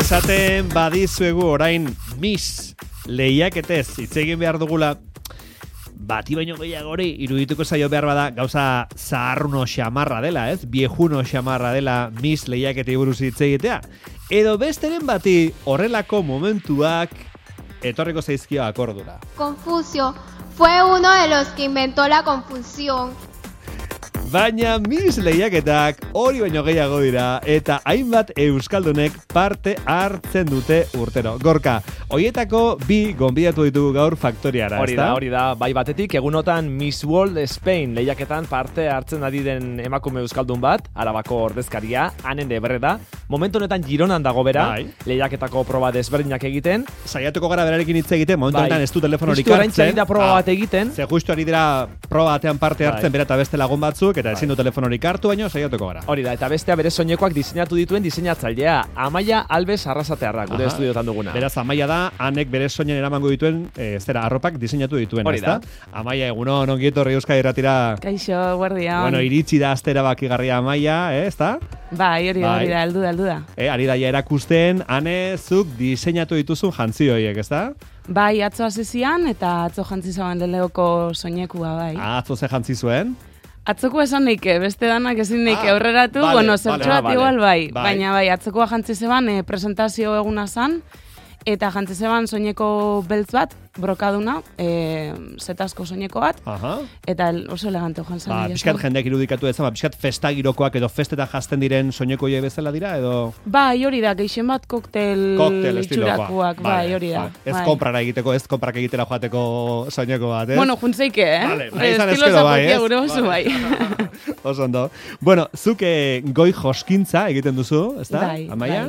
Esaten badizuegu orain Miss lehiaketez hitz egin behar dugula, bati baino gehiagori irudituko zaio behar bada gauza zaharruno xamarra dela, ez? Viejuno xamarra dela Miss lehiaketei buruz hitz egitea. Edo besteren bati horrelako momentuak etorriko zaizkio akordura. Confucio fue uno de los que inventó la confusión. Baina Miss lehiaketak hori baino gehiago dira eta hainbat euskaldunek parte hartzen dute urtero. Gorka, hoietako bi gonbidatu ditugu gaur faktoriara, ezta? Hori da, bai batetik egunotan Miss World Spain lehiaketan parte hartzen ari den emakume euskaldun bat, Arabako ordezkaria, Anen Ebreda. Momentu honetan Gironan dago bera, lehiaketako proba desberdinak egiten. Saiatuko gara berarekin hitz egiten, momentu honetan ez du telefonorik hartzen. Justu orain da proba bat egiten. Ze justu ari dira proba batean parte hartzen bera eta beste lagun batzuk, eta ezin du telefonorik hartu, baino saiatuko gara. Hori da, eta bestea bere soinekoak diseinatu dituen diseinatzailea, Amaia Alves Arrasatearra, gure estudiotan duguna. Beraz, Amaia da, Anek bere soinen eramango dituen, arropak diseinatu dituen, ezta? Amaia, egunon, ongi etorri Euskadi Irratira. Kaixo, guardian. Bueno, iritsi da astera bakigarria Amaia, ezta? Bai, hori da, heldu da. Ari da erakusten, Ane, zuk diseinatu dituzun jantzi horiek, ezta? Bai, atzo hasizian eta atzo jantzi zauen Leoko soinekua, bai. Atzo ze jantzi zuen? Atzoko esan neike, beste danak ezin neike aurreratu, zertxoat igual bai. Baina bai, atzokoa jantzi zeban presentazio eguna zan, eta jantzi zeban soineko beltz bat, brokaduna, zetazko soineko bat, eta oso elegante joan zan. Piskat jendeak irudikatu ezan, piskat festagirokoak edo festetan jazten diren soineko horiek bezala dira, edo? Bai, hori da, geixen bat koktel itxurakoak, bai, hori da. Ez konprara egiteko, ez konprak egitera joateko soineko bat, ez? Bueno, juntzeike, Estilo zapokia gure oso, bai. Oso ondo. Bueno, zuk goi joskintza egiten duzu, ezta? Bai, Amaia?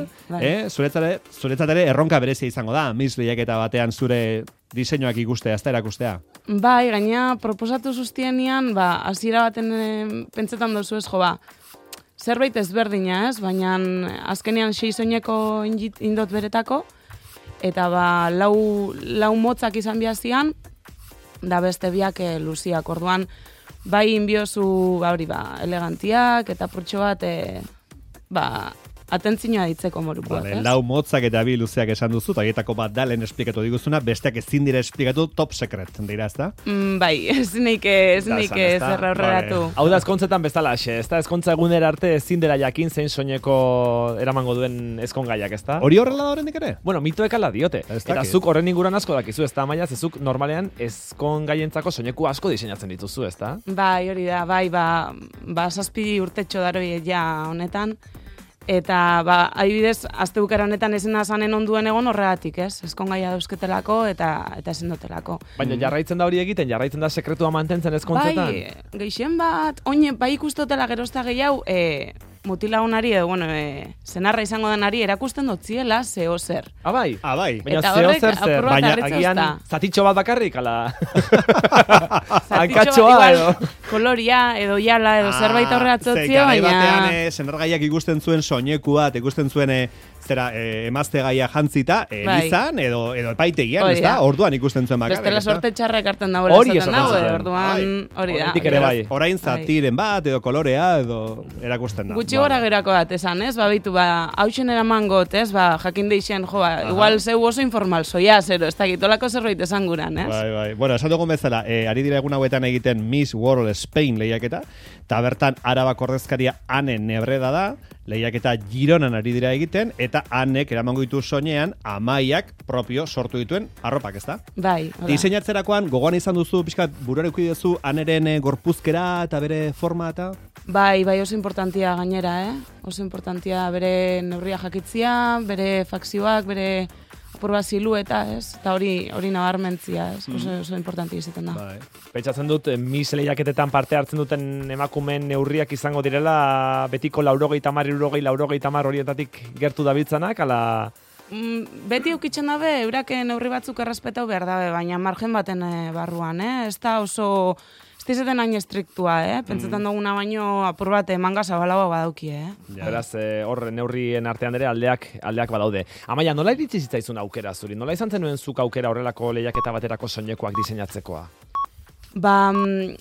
Zuretzat ere erronka berezia izango da, Miss lehiaketa batean zure diseinuak ikustea, ezta erakustea. Bai, gaina proposatu zuztienian, hasiera baten pentsetan dozu ez, zerbait ezberdina, ez? Baina azkenean 6 soineko indot beretako, eta lau motzak izan bihazian, da beste biak luziak. Orduan, bai inbiozu, elegantiak, eta purtxo bat, atentzioa ditzeko morukoak, ez? Lau motzak eta bi luzeak esan duzu, eta horietako bat da lehen esplikatu diguzuna, besteak ezin dira esplikatu top secret, dira, ezta? Bai, ezin neike zerra horreratu. Hau da ezkontzetan bezala, ezta? Ezkontza egunera arte ezin dela jakin zein soineko eramango duen ezkongaiak, ezta? Hori horrela da horrendik ere? Bueno, mitoek ala diote. Eta zuk horren inguruan asko dakizu, ezta, Amaia, zezuk normalean ezkongaientzako soineku asko diseinatzen dituzu, ezta? Bai, hori da, bai, 7 urtetxo daroi ja honetan. Eta, adibidez, azte bukera honetan ezena zanen onduen egon horregatik, ez? Ezkongaia dauzketelako eta ezin dotelako. Baina jarraitzen da hori egiten, jarraitzen da sekretua mantentzen ezkontzetan? Bai, geixen bat, bai ikustotela gerozta gehiago, mutilagunari edo, zenarra izango denari erakusten dotziela zeo zer. Bai. Baina zeo zer, baina agian zatitxo bat bakarrik, ala... Hankatxoa edo... Koloria edo jala edo zerbait aurreratzotzi, baina... batean zenargaiak ikusten zuen soinekuat, ikusten zuen emazte gaia jantzita, elizan edo epaitegian, ez da? Orduan ikusten zuen bakarrik. Bestela sorte txarrek hartzen dagoela esaten dago, orduan hori da. Orain zatiren bat, edo kolorea, edo erakusten da. Gutxi gora gerako bat esan, ez? Baitu, hausen eramangot, ez? Jakin deixen, igual zeu oso informal, soia, zero, ez da gitolako zerbait esan guran, ez? Bai. Bueno, esan dugun bezala, ari dira egun hauetan egiten Miss World Spain lehiaketa, eta bertan Arabako ordezkaria Anen Ebreda da, lehiaketa Gironan ari dira egiten, eta Anek eramango ditu soinean Amaiak propio sortu dituen arropak, ezta? Bai. Diseinatzerakoan gogoan izan duzu, pixkat buruan eduki duzu Aneren gorpuzkera eta bere forma eta... Bai, oso importantia gainera, Oso importantia bere neurria jakitzia, bere fakzioak, bere apurba silueta, ez? Eta hori nabarmentzia, ez? Oso importantia izaten da. Pentsatzen dut, Miss lehiaketetan parte hartzen duten emakumeen neurriak izango direla betiko 60, horietatik gertu dabiltzanak, ala... Beti eukitzen dabe, eurak neurri batzuk errespetau behar dabe, baina margen baten barruan, Ez da oso... Ez dizaten hain estriktua, Pentsetan duguna baino apur bat manga zabalagoa badauki, Beraz, hor neurrien artean ere aldeak badaude. Amaia, nola iritsi zitzaizun aukera zuri? Nola izan zenuen zuk aukera horrelako lehiaketa baterako soinekoak diseinatzekoa?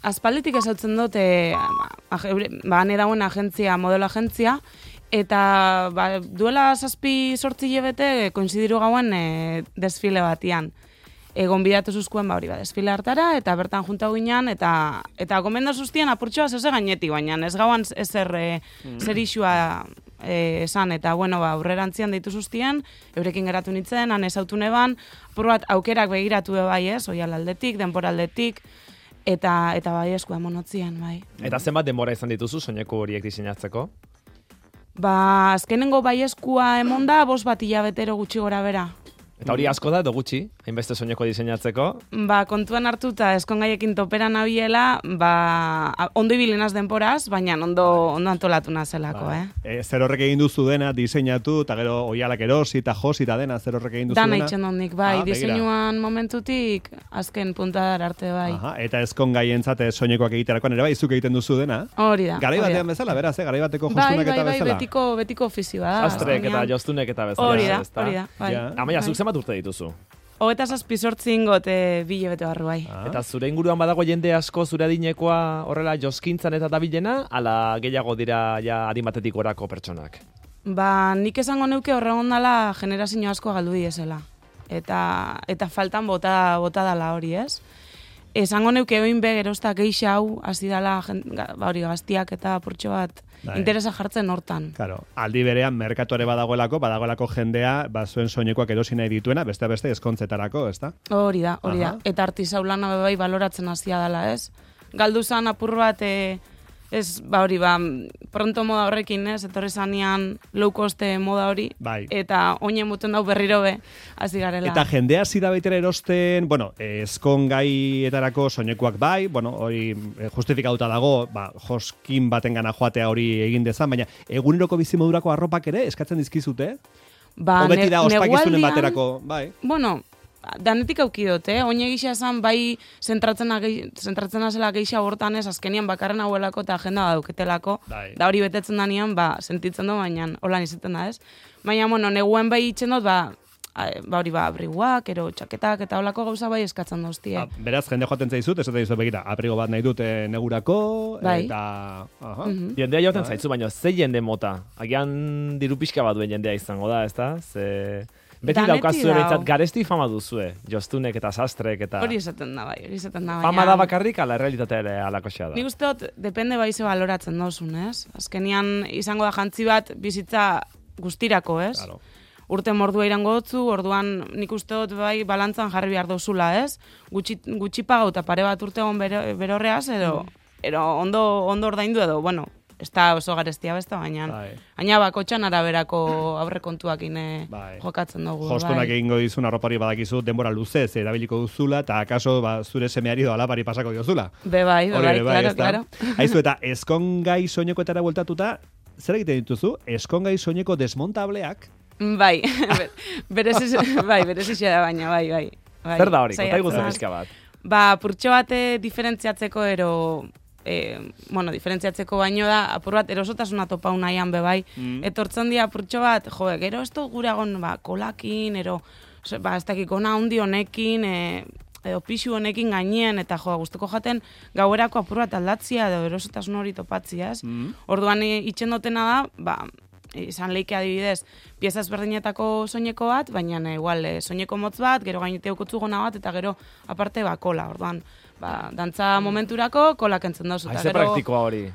Aspalditik esautzen dut, hane dagoen agentzia, modelo agentzia, Eta duela 7-8 hilabete koinzidiru gauen desfile batian. Gonbidatu zuzkuen hori desfile hartara, eta bertan junta ginean, eta gomenda zuztien apurtxoa zeuze gainetik, baina ez gauan ezer zer isua esan, eta bueno, aurrerantzian deitu zuztien, eurekin geratu nintzen, han ezautu neban, apur bat aukerak begiratu bai ez, oial aldetik, denbora aldetik, eta bai eskua monotzien, bai. Eta zenbat denbora izan dituzu soineko horiek diseinatzeko? Azkenengo bai eskua emonda, 5 hilabetero gutxi gora bera. Eta hori asko da, edo gutxi, hainbeste soineko diseinatzeko? Kontuan hartuta eskongaiekin topera nabiela, ondo ibilinaz denporaz, baina ondo antolatu nazelako, Zer horrek egin duzu dena, diseinatu, eta gero oialak erosi, eta josi, eta dena, zer horrek egin duzu dena? Dana itxendondik, bai, diseinuan momentutik, azken puntadar arte, bai. Eta eskongaien soinekoak egiterakoan ere bai, zuk egiten duzu dena? Hori da. Garai batean bezala, beraz, garai bateko jostunak eta bezala? Bai, betiko ofizioa da. Sastrek eta jostunek eta bezala. Hori da, bai. Amaia, zuk zenbat urte dituzu? 27 ingot 2 hilabete barru bai. Eta zure inguruan badago jende asko zure adinekoa horrela joskintzan eta dabilena, ala gehiago dira ja adimatetik gorako pertsonak? Nik esango neuke horregon dala generazio asko galdu diesela. Eta faltan bota dala hori, ez? Esango neuke oin be gerozta geixa hau hasi dala hori gaztiak eta portxo bat interesa jartzen hortan. Claro, aldi berean merkatuare badagoelako jendea, zuen soinekoak erosi nahi dituena, beste eskontzetarako, ezta? Hori da. Eta artisau lana bai baloratzen hasia dela, ez? Galdu zan apur bat pronto moda horrekin, ez? Etorri zanean low cost moda hori. Bai. Eta oinen muten dau berriro be, hasi garela. Eta jendea zida baitera erosten, eskongaietarako soinekoak bai, hori justifikatuta dago, joskin baten gana joatea hori egin dezan, baina eguneroko bizimodurako arropak ere eskatzen dizkizute? Beti da ospakizunen baterako, bai. Danetik aukidot, oin egisa esan bai zentratzen azela geisha hortan ez, azkenian bakarren hauelako eta agenda dauketelako, da hori betetzen danean, sentitzen du, baina holan izaten da ez. Baina, neguen bai itxen dut, abriguak, ero txaketak eta holako gauza bai eskatzen duztie. Beraz, jende joaten zaizut, ez dut begira, abrigo bat nahi dute negurako, eta... Jendea jauten zaizu, baina ze jende mota? Agian diru pixka bat duen jendea izango da, ez da? Beti daukazu ereitzat garesti fama duzue, jostunek eta sastrek eta... Hori esaten da bai. Fama da bakarrik, ala realitatea ere alakoxea da. Nik uste dut, depende bai ze baloratzen dozun, ez? Azkenian izango da jantzi bat bizitza guztirako, ez? Claro. Urte mordua irango dutzu, orduan nik uste dut bai balantzan jarri behar dozula, ez? Gutxi pagau eta pare bat urte hon berorreaz, edo ondo ordaindu edo, ez da oso garestia besta, baina bakotxan araberako aurrekontuak jokatzen dugu. Jostunak egingo dizun arropari badakizu denbora luzez erabiliko duzula, eta akaso zure semeari edo alabari pasako diozula. Bai, claro. Haizu, eta eskongai soinekoetara bueltatuta, zer egiten dituzu? Eskongai soineko desmontableak? Bai, berezizia da baina, bai. Zer da hori, konta iguzen bizka bat? Purtxo bat diferentziatzeko diferentziatzeko baino da, apur bat erosotasuna topau nahian bebai, etortzen dira apurtxo bat, gero ez dut guragon kolakin, ez dakik ona handi honekin, edo pixu honekin gainean, eta guztoko jaten gauerako apur bat aldatzia, edo erosotasun hori topatzia, ez? Orduan itxen dutena da, izan leike adibidez, pieza ezberdinetako soineko bat, baina igual soineko motz bat, gero gainete ukutzu gona bat, eta gero aparte kola, orduan. Dantza momenturako kolak entzen dauz. Ze praktikoa hori.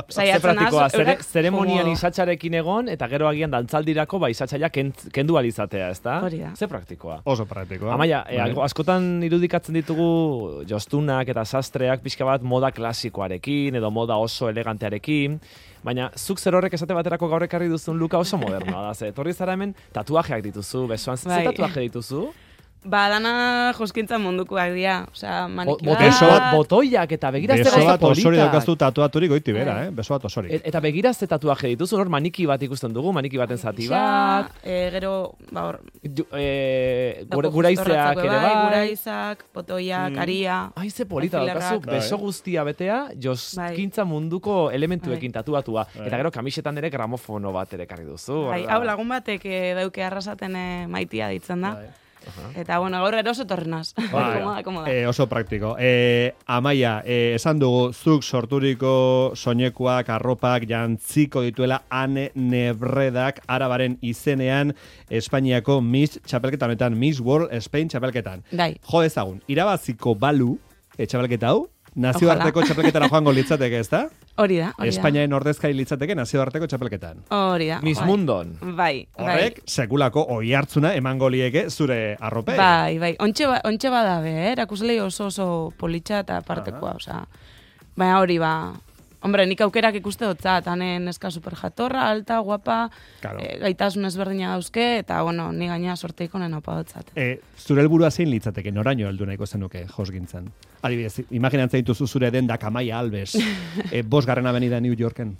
Ze praktikoa, zeremonian isatxarekin egon, eta gero agian dantzaldirako isatxaia kendu alizatea, ez da? Hori da. Ze praktikoa. Oso praktikoa. Amaia, askotan irudikatzen ditugu jostunak eta sastreak pixka bat moda klasikoarekin, edo moda oso elegantearekin, baina zuk zer horrek esate baterako gaur ekarri duzun luka oso modernoa da. Etorri zara hemen tatuajeak dituzu, besoan ze tatuaje dituzu? Dana joskintzan mundukoak dira, maniki bat. Beso bat botoiak eta begirazte beso bat osori daukazu tatuaturik goiti bera, beso bat osori. Eta begirazte tatuaje dituzu, hor maniki bat ikusten dugu, maniki baten zati bat. Gero, guraizeak ere bai. Guraizak, botoiak, aria. Ze polita daukazu, beso guztia betea, joskintza munduko elementuekin tatuatua. Eta gero kamisetan ere gramofono bat ere karri duzu. Hau lagun batek dauke arrasaten maitia ditzen da. Eta, bueno, gaur eroso torrenaz. Komoda. Oso praktiko. Amaia, esan dugu, zuk sorturiko soinekuak, arropak, jantziko dituela Ane Nebredak Arabaren izenean Espainiako Miss txapelketa honetan, Miss World Spain txapelketan. Dai. Jo dezagun, irabaziko balu txapelketa hau, nazioarteko txapelketara joango litzateke, ezta? Hori da. Espainiaren ordezkari litzateke nazioarteko txapelketan. Hori da. Miss Mundon. Bai. Horrek, sekulako oihartzuna emango lieke zure arropei. Bai. Ontxe badabe, erakuslei oso politxa eta partekoa, osea. Baina hori, hombre, nik aukerak ikuste dotzat, hanen eska super jatorra, alta, guapa, claro. Gaitasun ezberdina dauzke, eta, bueno, ni gaina sorteiko nena opa dotzat. Zure helburua zein litzateke, noraino heldu nahiko zenuke josgintzan? Adibidez, imaginatzen dituzu zure dendak Amaia Alves, 5. avenida New Yorken.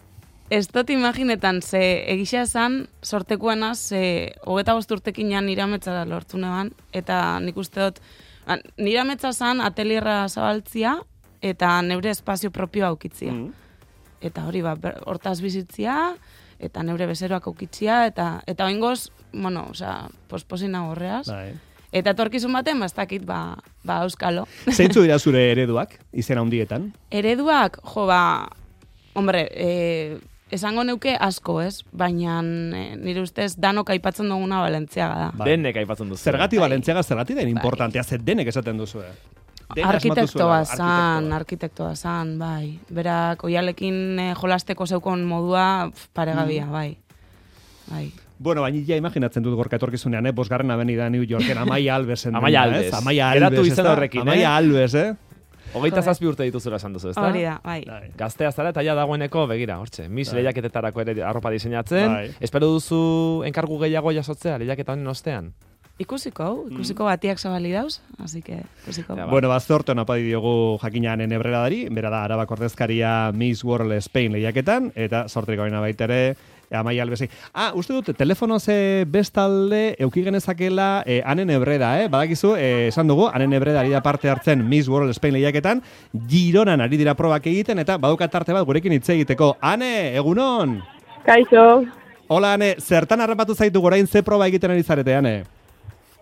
Ez dut imaginetan, ze egisa esan sortekuena, ze 25 urtekin jan nirametza lortu neban, eta nik uste dut, nirametza zan atelierra zabaltzia, eta neure espazio propio aukitzia. Eta hori, hortaz bizitzia, eta neure bezeroak aukitzia, eta oingoz, bueno, osea, posposina horreaz. Eta etorkizun baten, ez dakit, euskalo. Zeintzu dira zure ereduak, izena hundietan? Ereduak, hombre, esango neuke asko, ez? Baina nire ustez danok aipatzen duguna Balentziaga da. Denek aipatzen duzu. Zergati Balentziaga, zergati den importantea, zer denek esaten duzu. Arkitektoa zan, bai. Berak, oialekin jolasteko zeukon modua, paregabia, bai. Bueno, baina ja imaginatzen dut gorka etorkizunean, 5. avenida New Yorken, Amaia Albesen. Amaia Alves. Geratu izan horrekin, Amaia Alves, 27 urte dituzura esan duzu, ezta? Hori da, bai. Gaztea zara eta ja dagoeneko, begira, hortxe, Miss lehiaketetarako ere arropa diseinatzen. Espero duzu enkargu gehiago jasotzea lehiaketa honen ostean? Ikusiko batiak zabali dauz, así que ikusiko. Bueno, zorte hona padi diogu jakinan Nebredari, bera da Arabako ordezkaria Miss World Spain lehiaketan, eta sortriko baina baitere, Amaia Albesi. Uste dut, telefonoz bestalde euki genezakela Ane Nebreda, badakizu, esan dugu, Ane Nebreda ari da parte hartzen Miss World Spain lehiaketan, Gironan ari dira probak egiten, eta badukat tarte bat gurekin hitz egiteko. Ane, egunon! Kaixo! Hola, Ane, zertan harrapatu zaitu gorain ze proba egiten ari zarete, Ane?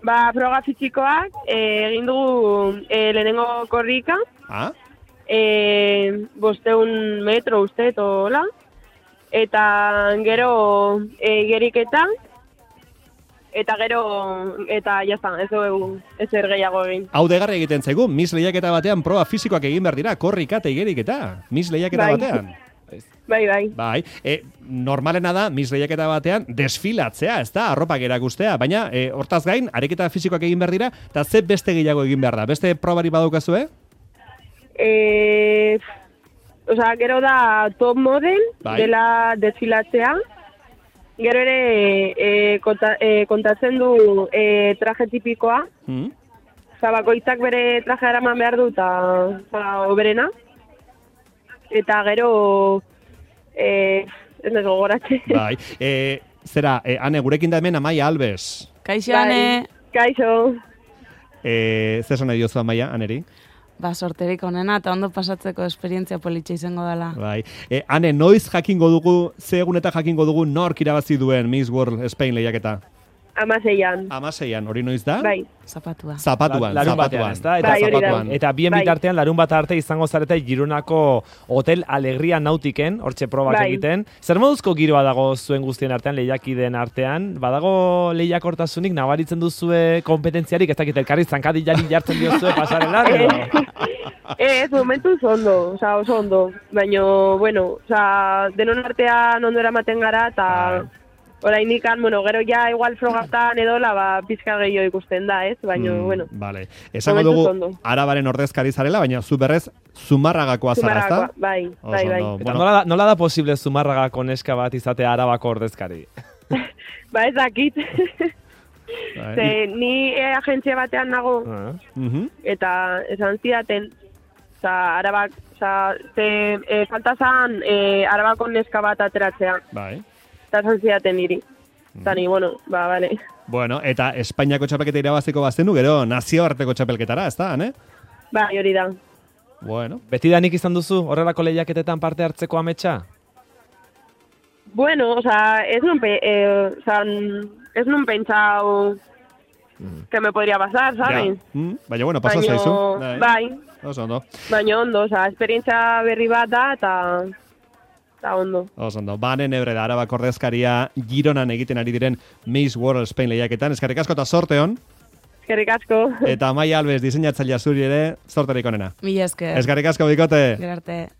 Froga fisikoak, egin dugu lehenengo korrika. 500 metro uste, hola. Eta gero igeriketa. Eta gero, eta jazta, ez dugu ezer gehiago egin. Hau degarra egiten zaigu, Miss lehiaketa batean proba fisikoak egin behar dira, korrika eta igeriketa. Miss lehiaketa batean. Bai. Normalena da, Miss lehiaketa batean, desfilatzea, ez da, arropak erakustea, baina hortaz gain, ariketa fisikoak egin behar dira, eta ze beste gehiago egin behar da? Beste probari badukazu, Gero da top model, dela desfilatzea, gero ere kontatzen du traje tipikoa, bakoitzak bere traje eraman behar du, eta oberena, eta gero... ez nago gogoratze. Bai. Zera, Ane, gurekin da hemen Amaia Alves. Kaixo, Ane. Kaixo. Zer zona diozu Amaia, Aneri? Sorterik onena eta ondo pasatzeko esperientzia politxe izango dela. Bai. Ane, noiz jakingo dugu, ze egunetan jakingo dugu nork irabazi duen Miss World Spain lehiaketa? 16an, hori noiz da? Bai. Zapatuan. Larun batean, ezta? Eta bien bitartean, larun bat arte izango zarete Gironako Hotel Alegria Nautiken, hortxe probak egiten. Zer moduzko giroa dago zuen guztien artean, lehiakideen artean? Badago lehiakortasunik nabaritzen duzue kompetentziarik, ez dakit elkarri zankadilari jartzen diozue pasarela? Ez, momentu oso ondo. Baina, bueno, denon artean ondo eramaten gara, eta... Oraindik, gero ja igual frogatan edola, pizka gehiago ikusten da, ez? Baina, bueno. Vale. Esango dugu, Arabaren ordezkari zarela, baina zu berrez, Zumarragakoa zara, ezta? Bai. Eta nola da posible Zumarragako neska bat izatea Arabako ordezkari? Ez dakit. Ni agentzia batean nago, eta esan zidaten, Arabak, falta zan Arabako neska bat ateratzea. Bai. Eta zantziaten niri. Eta ni, bale. Bueno, eta Espainiako txapelketa irabaziko bazenu, gero nazioarteko txapelketara, ez da, ne? Bai, hori da. Bueno. Betidanik izan duzu horrelako lehiaketetan parte hartzeko ametsa? Bueno, ez nun pentsau que me podría pasar, ¿sabes? Baina, bueno, pasau zaizu. Bai. Oso ondo. Baina ondo, esperientzia berri bat da, eta ondo. Oso ondo. Banen ebre da, Arabako ordezkaria Gironan egiten ari diren Miss World Spain lehiaketan. Eskerrik asko eta sorte hon. Eskerrik asko. Eta Amaia Alves diseinatzailea zuri ere, sorterik onena. Mila esker. Eskerrik asko, bikote. Gerarte.